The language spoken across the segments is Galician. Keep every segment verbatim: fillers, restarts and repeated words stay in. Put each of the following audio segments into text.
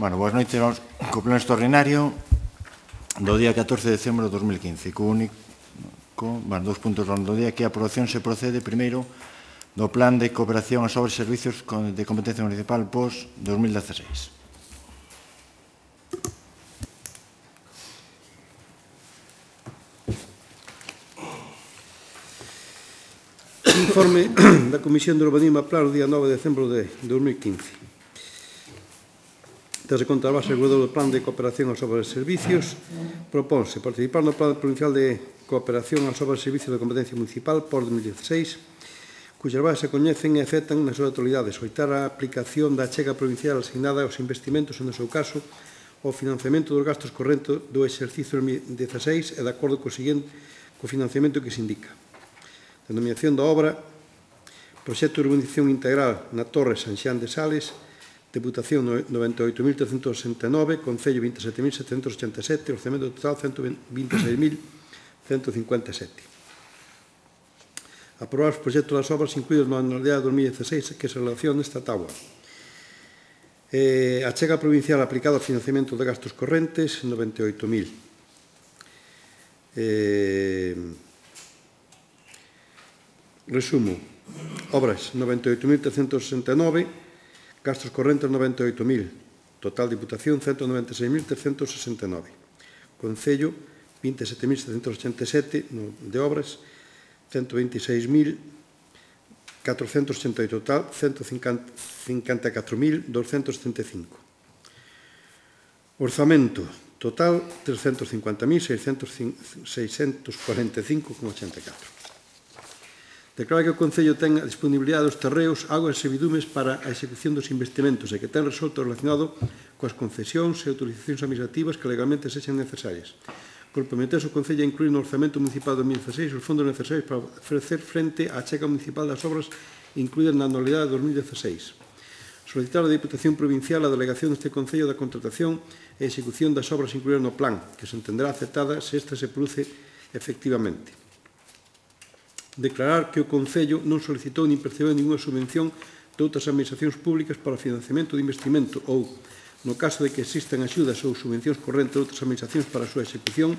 Bueno, boas noites, vamos co pleno extraordinario do día catorce de decembro de dos mil quince, co único, bueno, dos puntos do día, que a aprobación se procede primeiro do Plan de Cooperación aos Obras e Servicios de Competencia Municipal pos dos mil dieciséis. Informe da Comisión de Urbanismo Plano, día nove de decembro de dos mil quince. Desde contra a base regulador do Plan de Cooperación aos Obras e Servicios, propónse participar no Plan Provincial de Cooperación aos Obras e Servicios de Competencia Municipal por dos mil dieciséis, cuxas bases se coñecen e afectan na súa totalidade, soitar a aplicación da achega provincial asignada aos investimentos, e no seu caso, o financiamento dos gastos correntes do exercicio dos mil dieciséis e de acordo co seguinte co financiamento que se indica. Denominación da obra: Proxecto de Urbanización Integral na Torre San Xián de Sales, Deputación noventa e oito mil trescentos sesenta e nove, Concello vinte e sete mil setecentos ochenta e sete, Orzamento total cento vinte e seis mil cento cincuenta e sete. Aprobar os proxectos das obras incluídos na anualidade de dos mil dieciséis que se relaciona nesta tabla. Eh, achega provincial aplicada ao financiamento de gastos correntes, noventa e oito mil. Eh, resumo. Obras, noventa e oito mil trescentos sesenta e nove, gastos correntes, noventa e oito mil. Total Diputación, cento noventa e seis mil trescentos sesenta e nove. Concello, vinte e sete mil setecentos ochenta e sete de obras, cento vinte e seis mil catrocentos ochenta e oito. Total, cento cincuenta e catro mil doscientos setenta e cinco. Orzamento total, trescentos cincuenta mil seiscentos cuarenta e cinco coma ochenta e catro. Declara que o Concello ten a disponibilidade dos terreos, augas e servidumes para a execución dos investimentos e que ten resolto relacionado coas concesións e autorizacións administrativas que legalmente sexan necesarias. Comprometese o Concello a incluir no Orzamento Municipal de dos mil dieciséis os fondos necesarios para ofrecer frente á achega municipal das obras incluídas na anualidade de dos mil dieciséis. Solicitar a Diputación Provincial a delegación deste Concello da contratación e execución das obras incluídas no plan, que se entenderá aceptada se esta se produce efectivamente. Declarar que o Concello non solicitou nin percebeu ninguna subvención de outras administracións públicas para o financiamento de investimento ou, no caso de que existan axudas ou subvencións correntes de outras administracións para a súa execución,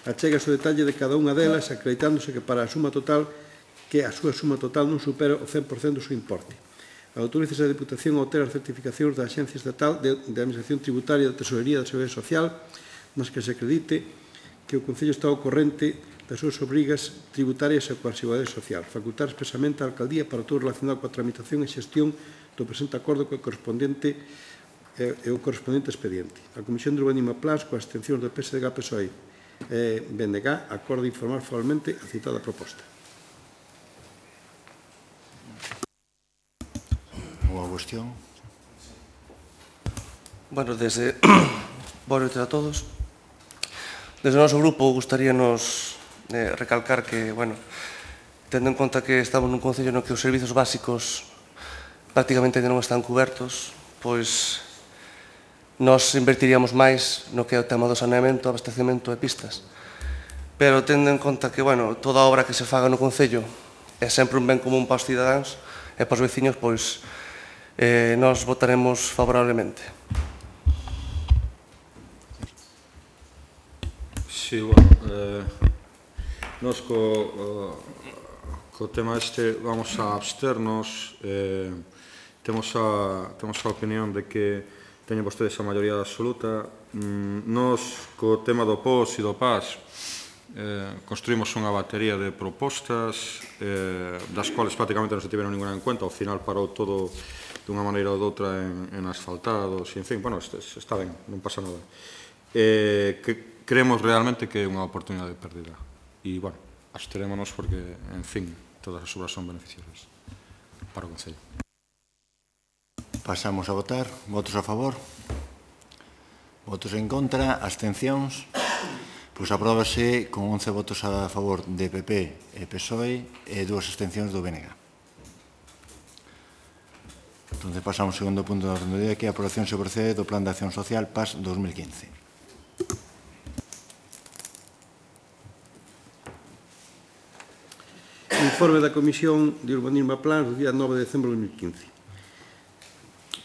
achégase o detalle de cada unha delas, acreditándose que para a suma total que a súa suma total non supera o cen por cento do seu importe. Autorícese a Diputación a obter as certificacións da Axencia Estatal de, de Administración Tributaria da Tesorería da Seguridade Social, nas que se acredite que o Concello está ao corrente das súas obrigas tributarias e coa Seguridade Social. Facultar expresamente a Alcaldía para todo relacionado coa tramitación e xestión do presente acordo co correspondente e o correspondente expediente. A Comisión de Urbanismo Plans, coas abstencións do P S D G, P S O E e B N G, acorda informar formalmente a citada proposta. Boa cuestión. Bueno, desde... Boas noites a todos. Desde o noso grupo gustaríanos eh, recalcar que, bueno, tendo en conta que estamos nun concello no que os servizos básicos prácticamente non están cubertos, pois nos invertiríamos máis no que é o tema do saneamento, abastecemento e pistas. Pero tendo en conta que, bueno, toda obra que se faga no concello é sempre un ben común para os cidadáns e para os veciños, pois eh, nos votaremos favorablemente. Sí, bueno, eh, nos co, uh, co tema este vamos a absternos. Eh, temos, a, temos a opinión de que teñen vostedes a maioría absoluta. Mm, nos, co tema do P O S e do P A S, eh, construímos unha batería de propostas, eh, das quales prácticamente non se tiveron ninguna en cuenta. Ao final parou todo dunha maneira ou doutra en, en asfaltados, e en fin, bueno, este, está ben, non pasa nada. Eh, que, creemos realmente que é unha oportunidade perdida. E, bueno, absterémonos porque, en fin, todas as obras son beneficiosas para o Concello. Pasamos a votar. Votos a favor? Votos en contra? Abstencións? Pois apróbase con once votos a favor de P P e P S O E e dúas abstencións do B N G. Entón, pasamos ao segundo punto da orde do día, que é a aprobación se procede do Plan de Acción Social P A S dos mil quince. Informe da Comisión de Urbanismo e Plans do día nove de decembro de dos mil quince.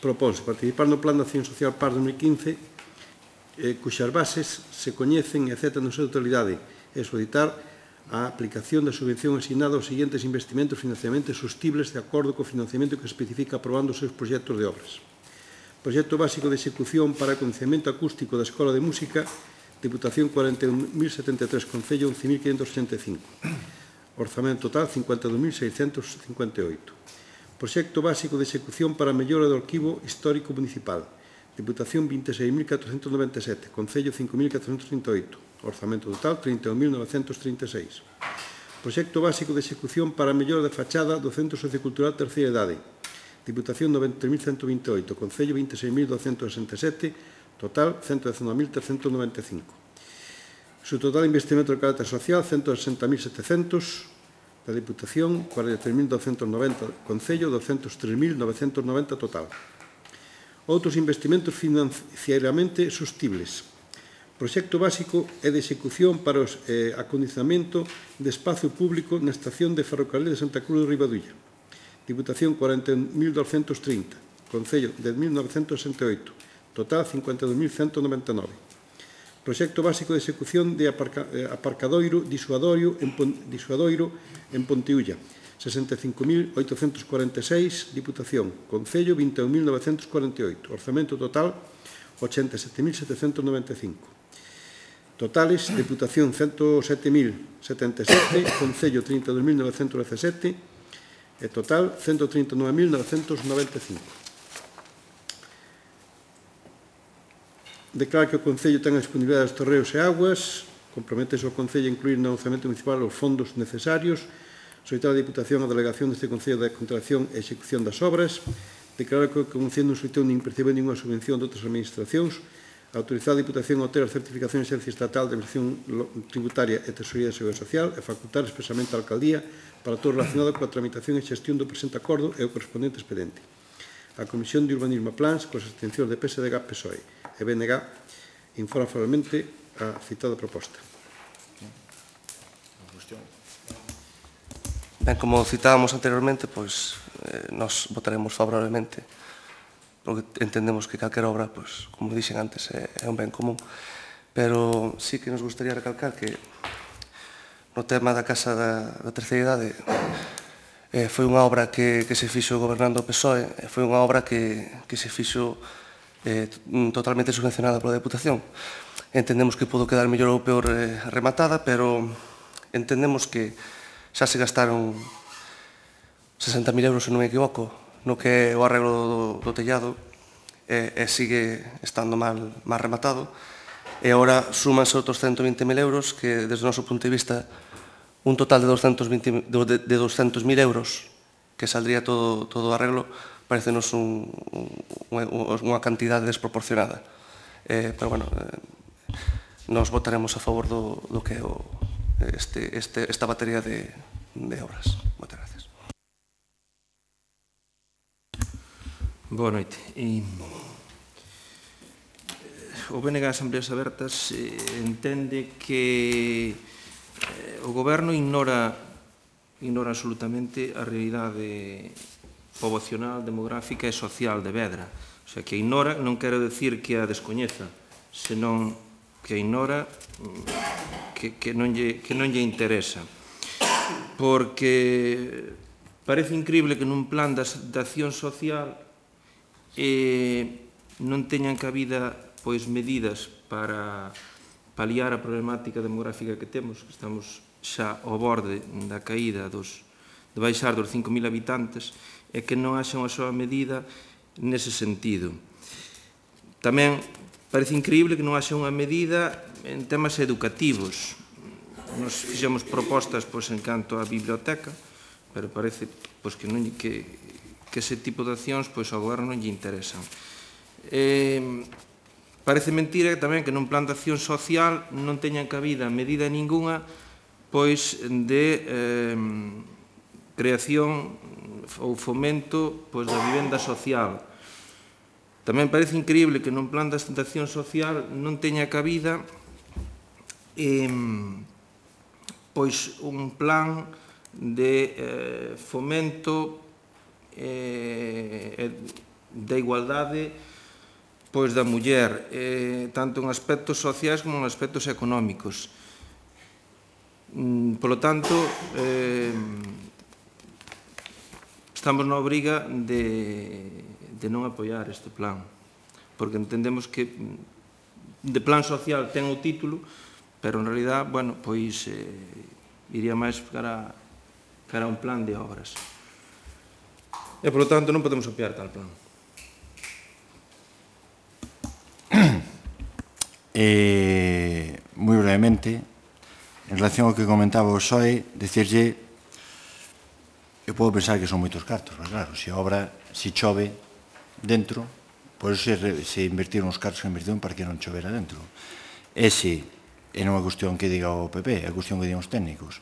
propónse participar no Plan de Acción Social P A R dos mil quince, eh, cuxas bases se coñecen e aceptan na súa totalidade, e solicitar a aplicación da subvención asignada aos seguintes investimentos e financiamentos sostibles de acordo co financiamento que se especifica aprobando os seus proxectos de obras. Proxecto básico de execución para acondicionamento acústico da Escola de Música, Diputación cuarenta e un mil setenta e tres, Concello once mil quinhentos ochenta e cinco. Orzamento total cincuenta e dos mil seiscentos cincuenta e oito. Proxecto básico de execución para a mellora do arquivo histórico municipal, Diputación vinte e seis mil catrocentos noventa e sete, Concello cinco mil catrocentos trinta e oito. Orzamento total trinta e un mil novecentos trinta e seis. Proxecto básico de execución para a mellora da fachada do Centro Sociocultural Terceira Idade, Diputación noventa mil ciento vinte e oito, Concello vinte e seis mil douscentos sesenta e sete, total ciento dezanove mil trescentos noventa e cinco. Su total investimento de carácter social ciento sesenta mil setecientos, da Diputación cuarenta e tres mil douscentos noventa, Concello doscientos tres mil novecentos noventa total. Outros investimentos financieramente sostibles. Proxecto básico é de execución para o eh, acondicionamento de espacio público na estación de ferrocarril de Santa Cruz de Ribadulla, Diputación cuarenta mil doscientos trinta, Concello dez mil novecentos sesenta e oito, total cincuenta e dos mil ciento noventa e nove. Proxecto básico de execución de aparca, eh, aparcadoiro disuadorio en, disuadoiro en Ponteulla, sesenta e cinco mil oitocentos cuarenta e seis, Diputación, Concello vinte e un mil novecentos cuarenta e oito, orzamento total ochenta e sete mil setecentos noventa e cinco. Totales, Diputación ciento sete mil setenta e sete, Concello trinta e dos mil novecentos dezasete e total ciento trinta e nove mil novecentos noventa e cinco. Declara que o Concello ten a disponibilidade dos terreos e aguas, comprométese o Concello a incluir no orçamento municipal os fondos necesarios, solicitar a Diputación a delegación deste Concello de contratación e execución das obras, declarar que o Concello non solicitou nin percebeu ninguna subvención de outras administracións, autorizar a Diputación a obter a certificación de esencia estatal de administración tributaria e tesorería de seguridade social e facultar expresamente a Alcaldía para todo relacionado coa tramitación e xestión do presente acordo e o correspondente expediente. A Comisión de Urbanismo e Plans, coas abstencións de P S D G, P S O E e B N G, informa favorablemente a citada proposta. Ben, como citábamos anteriormente, pois, eh, nos votaremos favorablemente, porque entendemos que calquera obra, pois, como dixen antes, é, é un ben común. Pero sí que nos gustaría recalcar que no tema da Casa da, da Terceira Idade eh, foi unha obra que, que se fixo gobernando o P S O E, e foi unha obra que, que se fixo eh, totalmente subvencionada pola Deputación. Entendemos que pudo quedar mellor ou peor eh, rematada, pero entendemos que xa se gastaron sesenta mil euros, se non me equivoco, no que é o arreglo do, do tellado, e, e sigue estando mal, mal rematado, e agora súmanse outros ciento vinte mil euros, que desde o noso punto de vista un total de doscientos vinte, de, de doscientos mil euros que saldría todo, todo o arreglo, parecenos un, un, unha cantidade desproporcionada. Eh, pero, bueno, eh, nos votaremos a favor do, do que é o, este, este, esta batería de, de obras. Moitas gracias. Boa noite. E, o B N G Asambleas Abertas eh, entende que eh, o Goberno ignora, ignora absolutamente a realidade poboacional, demográfica e social de Vedra. O sea, que ignora non quero decir que a descoñeza, senón que a ignora, que, que, non lle, que non lle interesa. Porque parece increíble que nun plan de, de acción social e non teñan cabida pois medidas para paliar a problemática demográfica que temos, que estamos xa ao borde da caída dos, de baixar dos cinco mil habitantes, e que non haxa unha soa medida nese sentido. Tamén parece increíble que non haxa unha medida en temas educativos. Nos fixemos propostas pois, en canto á biblioteca, pero parece pois, que, non, que, que ese tipo de accións pois, ao goberno non lle interesan. Eh, parece mentira tamén que nun plan de acción social non teñan cabida medida ninguna pois, de eh, creación ou fomento pois, da vivenda social. Tamén parece increíble que nun plan de acción social non teña cabida eh, pois un plan de eh, fomento eh, da igualdade pois da muller, eh, tanto en aspectos sociais como en aspectos económicos. Mm, polo tanto, eh, estamos na obriga de, de non apoiar este plan, porque entendemos que de plan social ten o título, pero en realidad, bueno, pois eh, iría máis cara, cara a un plan de obras. E, polo tanto, non podemos apoiar tal plan. Eh, moi brevemente, en relación ao que comentaba o X O E, dicirlle, eu podo pensar que son moitos cartos, mas claro, se obra, se chove dentro, pois se, se invertir uns cartos que invertiron para que non chovera dentro. Ese é non é cuestión que diga o P P, é cuestión que digan os técnicos.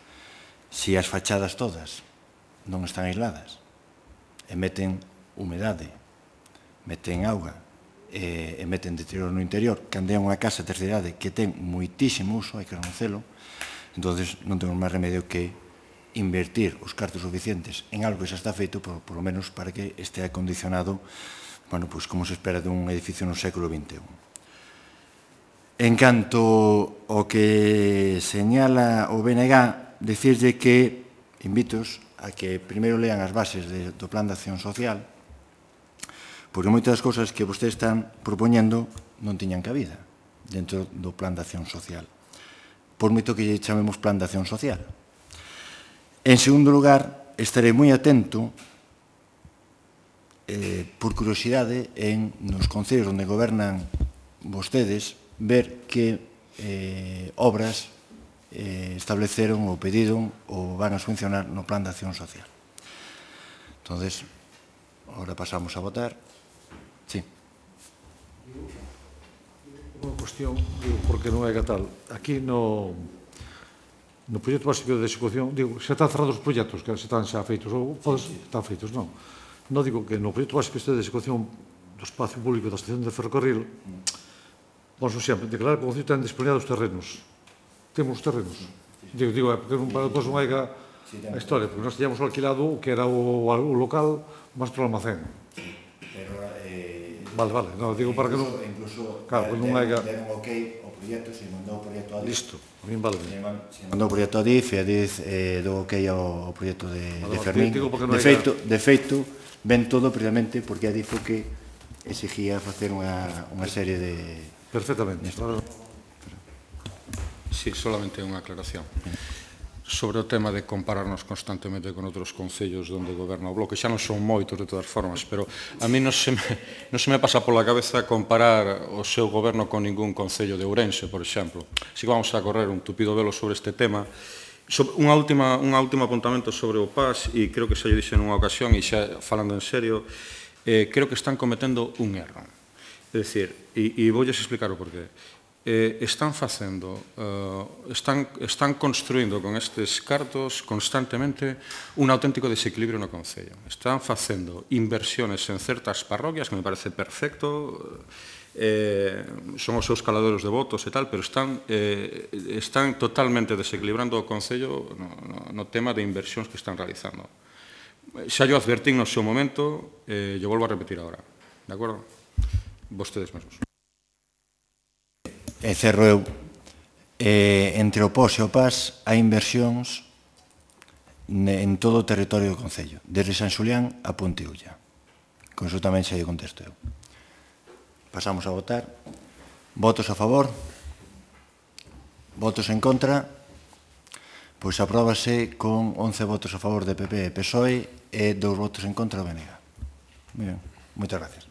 Se as fachadas todas non están aisladas e meten humedade, meten auga e, e meten deterioro no interior, que ande unha casa de terceira idade que ten moitísimo uso, hai que reconocerlo, entonces non temos máis remedio que invertir os cartos suficientes en algo que xa está feito, por, por lo menos para que este acondicionado, bueno, pues como se espera dun edificio no século vinte e un. En canto ao que señala o B N G, dicirlle que invitos a que primeiro lean as bases de, do Plan de Acción Social, porque moitas das cousas que vostedes están propoñendo non tiñan cabida dentro do Plan de Acción Social, por moito que lle chamemos Plan de Acción Social. En segundo lugar, estarei moi atento, eh, por curiosidade, en nos concellos onde gobernan vostedes, ver que eh, obras eh, estableceron ou pediron ou van a subvencionar no Plan de Acción Social. Entonces, ahora pasamos a votar. Sí. Unha cuestión, digo, porque non é que tal. Aquí no, no proxecto básico de execución, digo, xa están cerrados os proxectos, que xa están xa feitos, ou podes, están feitos, non. Non digo que no proxecto básico este de execución do espacio público da estación de ferrocarril, vamos sempre, declarar que o Concello ten disponibles os terrenos. Temos os terrenos. Digo, digo, é porque para depois non hai a historia, porque nós teníamos alquilado o que era o, o local máis para o almacén. Pero, eh, vale, vale, non, digo para que non... Incluso, claro, non hai... deron ok o proxecto, se mandou o proxecto a D I F. Listo, a min vale. Se mandou o proxecto a D I F e a D I F eh, dou ok ao proxecto de, vale, de Fermín. De feito, de feito, ven todo precisamente porque a D I F o que exigía facer unha, unha serie de... Perfectamente. Sí, solamente unha aclaración. Sobre o tema de compararnos constantemente con outros concellos onde goberna o Bloque, xa non son moitos de todas formas, pero a mí non se me, non se me pasa pola cabeza comparar o seu goberno con ningún concello de Ourense, por exemplo. Así que vamos a correr un tupido velo sobre este tema. Sobre unha última, un último apuntamento sobre o P A S, e creo que xa lle dixen nunha ocasión, e xa falando en serio, eh, creo que están cometendo un erro. É dicir, e, e voulles explicar o porqué. Eh, están facendo, eh, están, están construindo con estes cartos constantemente un auténtico desequilibrio no Concello. Están facendo inversiones en certas parroquias, que me parece perfecto, eh, son os seus caladeros de votos e tal, pero están, eh, están totalmente desequilibrando o Concello no, no, no tema de inversións que están realizando. Xa yo advertín no seu momento, eh, yo volvo a repetir agora, de acordo? Vostedes mesmos. E cerro eu, eh, entre o P O S e o P A S hai inversións en todo o territorio do Concello, desde San Xulián a Ponteulla. Con iso tamén xa lle contesto eu. Pasamos a votar. Votos a favor? Votos en contra? Pois apróbase con once votos a favor de P P e P S O E e dous votos en contra do B N G. Moi ben, moitas gracias.